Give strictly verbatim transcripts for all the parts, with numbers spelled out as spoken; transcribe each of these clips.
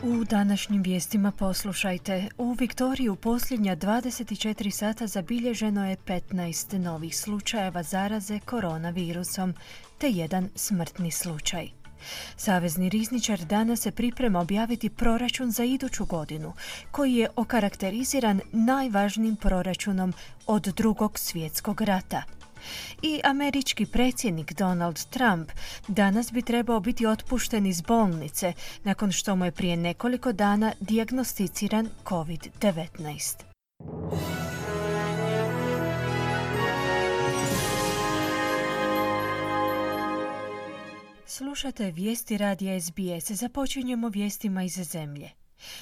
U današnjim vijestima poslušajte. U Viktoriji u posljednja dvadeset četiri sata zabilježeno je petnaest novih slučajeva zaraze koronavirusom, te jedan smrtni slučaj. Savezni rizničar danas se priprema objaviti proračun za iduću godinu, koji je okarakteriziran najvažnijim proračunom od Drugog svjetskog rata. I američki predsjednik Donald Trump danas bi trebao biti otpušten iz bolnice nakon što mu je prije nekoliko dana dijagnosticiran kovid devetnaest. Slušate vijesti radija S B S. Započinjemo vijestima iz zemlje.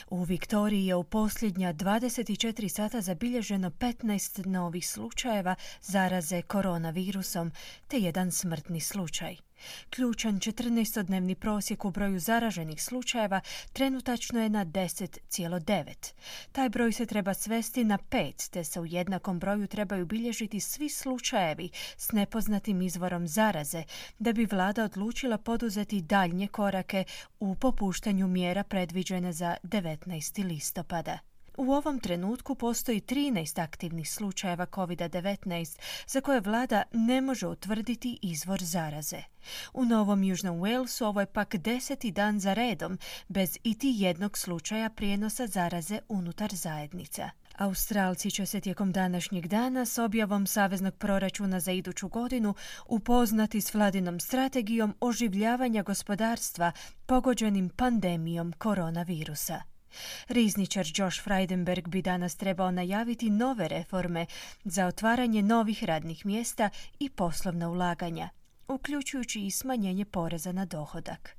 U Viktoriji je u posljednja dvadeset četiri sata zabilježeno petnaest novih slučajeva zaraze koronavirusom, te jedan smrtni slučaj. Ključan četrnaestodnevni prosjek u broju zaraženih slučajeva trenutačno je na deset zarez devet. Taj broj se treba svesti na pet, te se u jednakom broju trebaju bilježiti svi slučajevi s nepoznatim izvorom zaraze, da bi vlada odlučila poduzeti daljnje korake u popuštanju mjera predviđene za devetnaesti listopada. U ovom trenutku postoji trinaest aktivnih slučajeva kovid devetnaest za koje vlada ne može utvrditi izvor zaraze. U Novom Južnom Walesu ovo je pak deseti dan za redom bez iti jednog slučaja prijenosa zaraze unutar zajednica. Australci će se tijekom današnjeg dana s objavom saveznog proračuna za iduću godinu upoznati s vladinom strategijom oživljavanja gospodarstva pogođenim pandemijom koronavirusa. Rizničar Josh Frydenberg bi danas trebao najaviti nove reforme za otvaranje novih radnih mjesta i poslovna ulaganja, uključujući i smanjenje poreza na dohodak.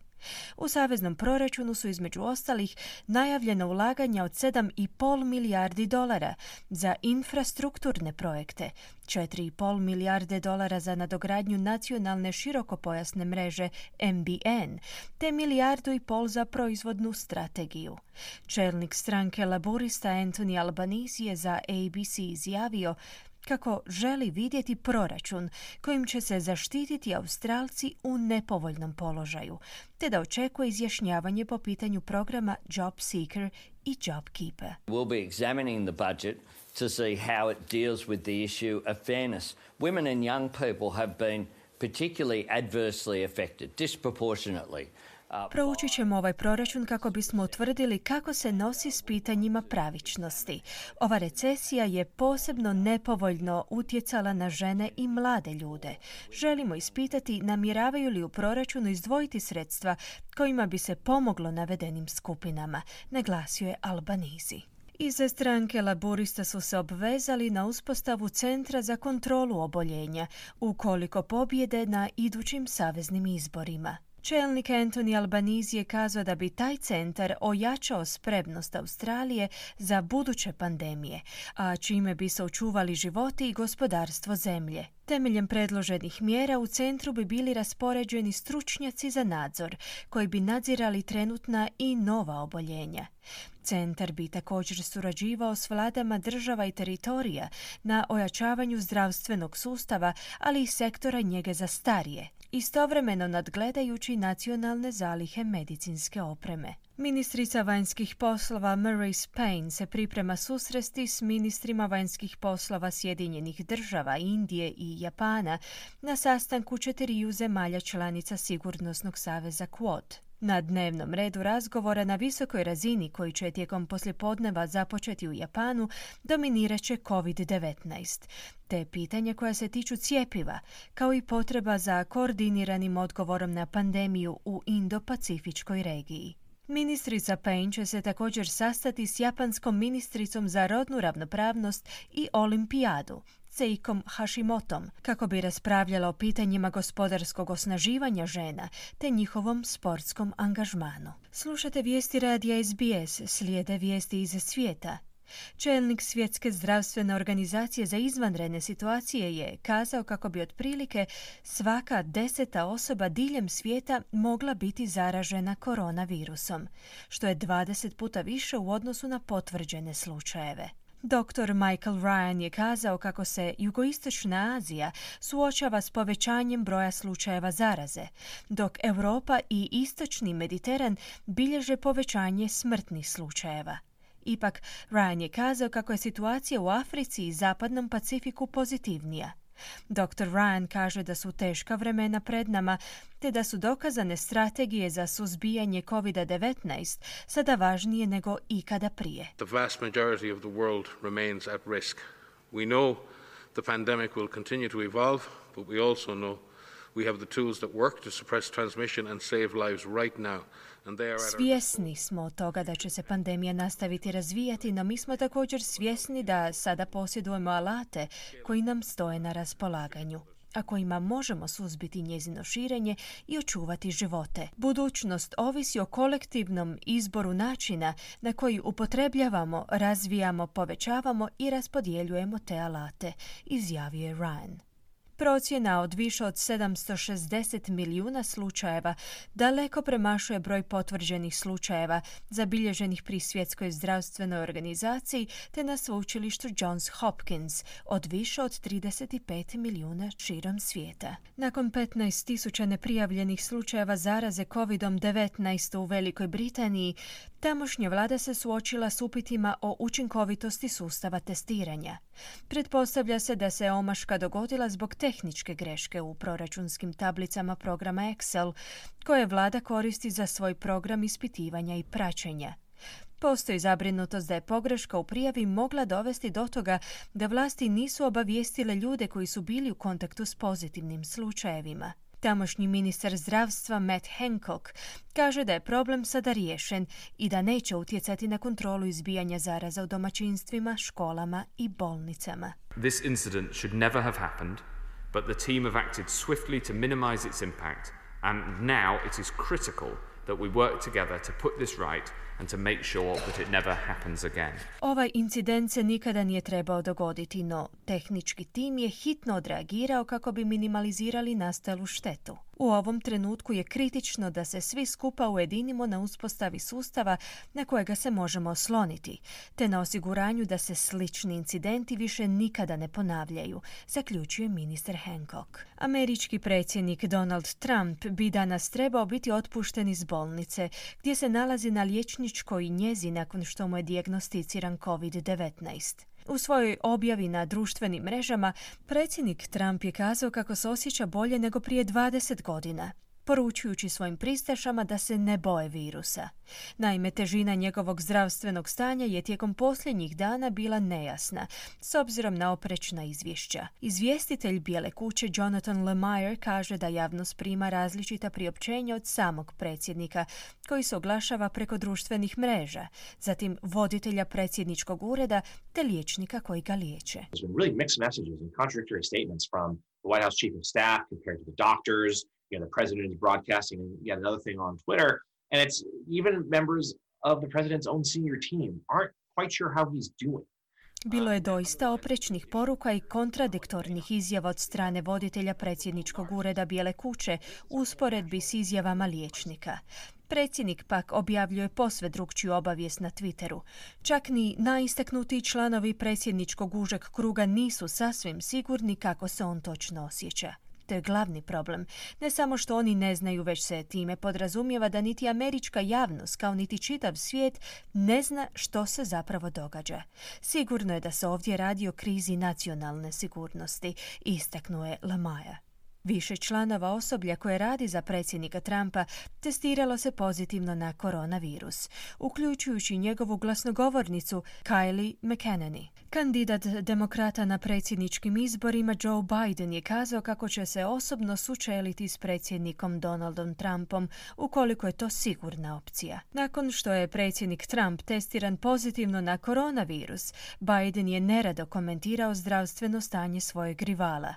U saveznom proračunu su između ostalih najavljena ulaganja od sedam i pol milijardi dolara za infrastrukturne projekte, četiri i pol milijarde dolara za nadogradnju nacionalne širokopojasne mreže M B N, te milijardu i pol za proizvodnu strategiju. Čelnik stranke laborista Anthony Albanese je za A B C izjavio kako želi vidjeti proračun kojim će se zaštititi Australci u nepovoljnom položaju, te da očekuje izjašnjavanje po pitanju programa Job Seeker i Job Keeper. We'll be examining the budget to see how it deals with the issue of fairness. Women and young people have been particularly adversely affected, disproportionately. Proučit ćemo ovaj proračun kako bismo utvrdili kako se nosi s pitanjima pravičnosti. Ova recesija je posebno nepovoljno utjecala na žene i mlade ljude. Želimo ispitati namjeravaju li u proračunu izdvojiti sredstva kojima bi se pomoglo navedenim skupinama, naglasio je Albanese. Iz stranke laborista su se obvezali na uspostavu centra za kontrolu oboljenja ukoliko pobjede na idućim saveznim izborima. Čelnik Anthony Albanese je kazao da bi taj centar ojačao spremnost Australije za buduće pandemije, a čime bi se očuvali životi i gospodarstvo zemlje. Temeljem predloženih mjera u centru bi bili raspoređeni stručnjaci za nadzor, koji bi nadzirali trenutna i nova oboljenja. Centar bi također surađivao s vladama država i teritorija na ojačavanju zdravstvenog sustava, ali i sektora njege za starije, istovremeno nadgledajući nacionalne zalihe medicinske opreme. Ministrica vanjskih poslova Marise Payne se priprema susresti s ministrima vanjskih poslova Sjedinjenih država, Indije i Japana na sastanku četiriju zemalja članica Sigurnosnog saveza Quad. Na dnevnom redu razgovora na visokoj razini koji će tijekom poslijepodneva započeti u Japanu dominirat će kovid devetnaest, te pitanja koja se tiču cjepiva, kao i potreba za koordiniranim odgovorom na pandemiju u Indo-Pacifičkoj regiji. Ministrica Payne će se također sastati s japanskom ministricom za rodnu ravnopravnost i olimpijadu, Seikom Hashimotom, kako bi raspravljala o pitanjima gospodarskog osnaživanja žena te njihovom sportskom angažmanu. Slušate vijesti radija S B S, slijede vijesti iz svijeta. Čelnik Svjetske zdravstvene organizacije za izvanredne situacije je kazao kako bi otprilike svaka deseta osoba diljem svijeta mogla biti zaražena koronavirusom, što je dvadeset puta više u odnosu na potvrđene slučajeve. doktor Michael Ryan je kazao kako se jugoistočna Azija suočava s povećanjem broja slučajeva zaraze, dok Europa i istočni Mediteran bilježe povećanje smrtnih slučajeva. Ipak, Ryan je kazao kako je situacija u Africi i Zapadnom Pacifiku pozitivnija. doktor Ryan kaže da su teška vremena pred nama, te da su dokazane strategije za suzbijanje covid devetnaest sada važnije nego ikada prije. The vast majority of the world remains at risk. We know the pandemic will continue to evolve, but we also know we have the tools that work to suppress transmission and save lives right now. Svjesni smo toga da će se pandemija nastaviti razvijati, no mi smo također svjesni da sada posjedujemo alate koji nam stoje na raspolaganju, a kojima možemo suzbiti njezino širenje i očuvati živote. Budućnost ovisi o kolektivnom izboru načina na koji upotrebljavamo, razvijamo, povećavamo i raspodjeljujemo te alate, izjavio je Ryan. Procjena od više od sedamsto šezdeset milijuna slučajeva daleko premašuje broj potvrđenih slučajeva zabilježenih pri Svjetskoj zdravstvenoj organizaciji te na sveučilištu Johns Hopkins od više od trideset pet milijuna širom svijeta. Nakon petnaest tisuća neprijavljenih slučajeva zaraze covid devetnaest u Velikoj Britaniji, tamošnja vlada se suočila s upitima o učinkovitosti sustava testiranja. Pretpostavlja se da se omaška dogodila zbog tehničke greške u proračunskim tablicama programa Excel, koje vlada koristi za svoj program ispitivanja i praćenja. Postoji zabrinutost da je pogreška u prijavi mogla dovesti do toga da vlasti nisu obavijestile ljude koji su bili u kontaktu s pozitivnim slučajevima. Tamošnji ministar zdravstva Matt Hancock kaže da je problem sada riješen i da neće utjecati na kontrolu izbijanja zaraza u domaćinstvima, školama i bolnicama. This incident should never have happened, but the team have acted swiftly to minimize its impact, and now it is critical that we work together to put this right and to make sure that it never happens again. Ovaj incident se nikada nije trebao dogoditi, no tehnički tim je hitno odreagirao kako bi minimalizirali nastalu štetu. U ovom trenutku je kritično da se svi skupa ujedinimo na uspostavi sustava na kojega se možemo osloniti, te na osiguranju da se slični incidenti više nikada ne ponavljaju, zaključuje ministar Hancock. Američki predsjednik Donald Trump bi danas trebao biti otpušten iz bolnice, gdje se nalazi na liječničkoj njezi nakon što mu je dijagnosticiran covid devetnaest. U svojoj objavi na društvenim mrežama, predsjednik Trump je kazao kako se osjeća bolje nego prije dvadeset godina, poručujući svojim pristašama da se ne boje virusa. Naime, težina njegovog zdravstvenog stanja je tijekom posljednjih dana bila nejasna, s obzirom na oprečna izvješća. Izvjestitelj Bijele kuće Jonathan Lemire kaže da javnost prima različita priopćenja od samog predsjednika, koji se oglašava preko društvenih mreža, zatim voditelja predsjedničkog ureda te liječnika koji ga liječe. You know, the president is broadcasting yet another thing on Twitter, and it's even members of the president's own senior team aren't quite sure how he's doing. Bilo je doista oprečnih poruka i kontradiktornih izjava od strane voditelja predsjedničkog ureda Bijele kuće u usporedbi s izjavama liječnika. Predsjednik pak objavljuje posve drukčiju obavijest na Twitteru. Čak ni najistaknutiji članovi predsjedničkog užeg kruga nisu sasvim sigurni kako se on točno osjeća. To je glavni problem. Ne samo što oni ne znaju, već se time podrazumijeva da niti američka javnost, kao niti čitav svijet, ne zna što se zapravo događa. Sigurno je da se ovdje radi o krizi nacionalne sigurnosti, istaknuo je Lemire. Više članova osoblja koje radi za predsjednika Trumpa testiralo se pozitivno na koronavirus, uključujući njegovu glasnogovornicu Kayleigh McEnany. Kandidat demokrata na predsjedničkim izborima Joe Biden je kazao kako će se osobno sučeliti s predsjednikom Donaldom Trumpom ukoliko je to sigurna opcija. Nakon što je predsjednik Trump testiran pozitivno na koronavirus, Biden je nerado komentirao zdravstveno stanje svojeg rivala.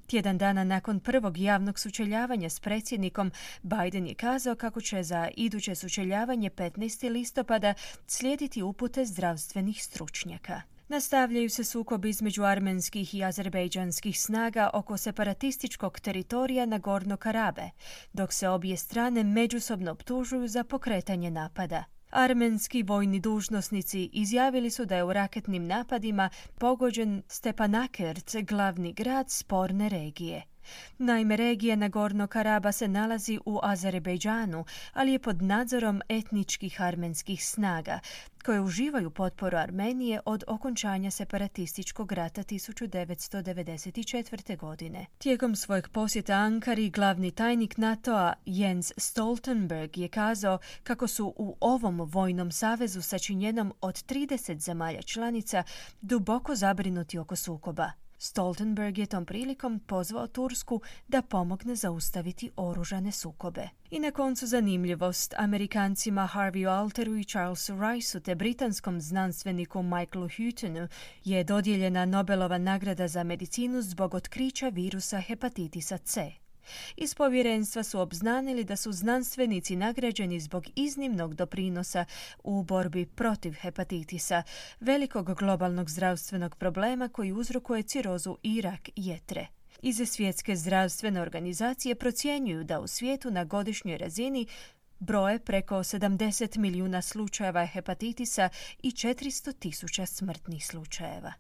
Tjedan dana nakon prvog javnog sučeljavanja s predsjednikom, Biden je kazao kako će za iduće sučeljavanje petnaestog listopada slijediti upute zdravstvenih stručnjaka. Nastavljaju se sukobi između armenskih i azerbejdžanskih snaga oko separatističkog teritorija Nagorno Karabe, dok se obje strane međusobno optužuju za pokretanje napada. Armenski vojni dužnosnici izjavili su da je u raketnim napadima pogođen Stepanakert, glavni grad sporne regije. Naime, regija Nagorno-Karaba se nalazi u Azerbejdžanu, ali je pod nadzorom etničkih armenskih snaga, koje uživaju potporu Armenije od okončanja separatističkog rata tisuću devetsto devedeset četvrte. godine. Tijekom svojeg posjeta Ankari, glavni tajnik NATO-a Jens Stoltenberg je kazao kako su u ovom vojnom savezu sačinjenom od trideset zemalja članica duboko zabrinuti oko sukoba. Stoltenberg je tom prilikom pozvao Tursku da pomogne zaustaviti oružane sukobe. I na koncu zanimljivost, Amerikancima Harveyu Alteru i Charlesu Riceu te britanskom znanstveniku Michaelu Hutonu je dodijeljena Nobelova nagrada za medicinu zbog otkrića virusa hepatitisa C. Iz povjerenstva su obznanili da su znanstvenici nagrađeni zbog iznimnog doprinosa u borbi protiv hepatitisa, velikog globalnog zdravstvenog problema koji uzrokuje cirozu i rak jetre. Iz Svjetske zdravstvene organizacije procjenjuju da u svijetu na godišnjoj razini broje preko sedamdeset milijuna slučajeva hepatitisa i četiristo tisuća smrtnih slučajeva.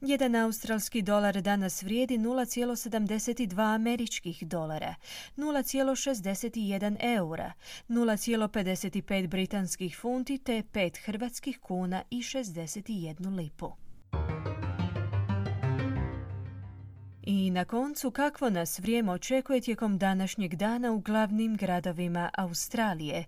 Jedan australski dolar danas vrijedi nula zarez sedamdeset dva američkih dolara, nula zarez šezdeset jedan eura, nula zarez pedeset pet britanskih funti te pet hrvatskih kuna i šezdeset jednu lipu. I na koncu, kakvo nas vrijeme očekuje tijekom današnjeg dana u glavnim gradovima Australije.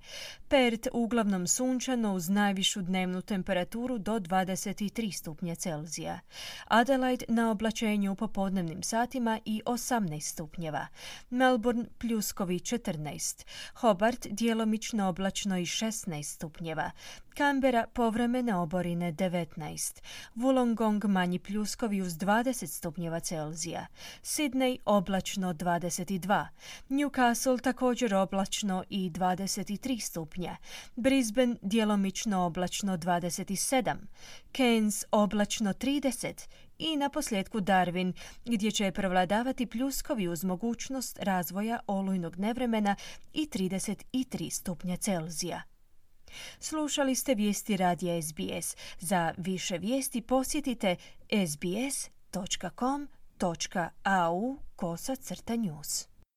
Perth uglavnom sunčano uz najvišu dnevnu temperaturu do dvadeset tri stupnja Celzija. Adelaide na oblačenju u popodnevnim satima i osamnaest stupnjeva. Melbourne pljuskovi četrnaest. Hobart djelomično oblačno i šesnaest stupnjeva. Canberra povremene oborine devetnaest. Wollongong manji pljuskovi uz dvadeset stupnjeva Celzija. Sydney oblačno dvadeset dva. Newcastle također oblačno i dvadeset tri stupnja. Brisbane djelomično oblačno dvadeset sedam. Cairns oblačno trideset. I na posljedku Darwin, gdje će prevladavati pljuskovi uz mogućnost razvoja olujnog nevremena i trideset tri stupnja Celzija. Slušali ste vijesti radija S B S. Za više vijesti posjetite sbs točka com točka au kosa crta news.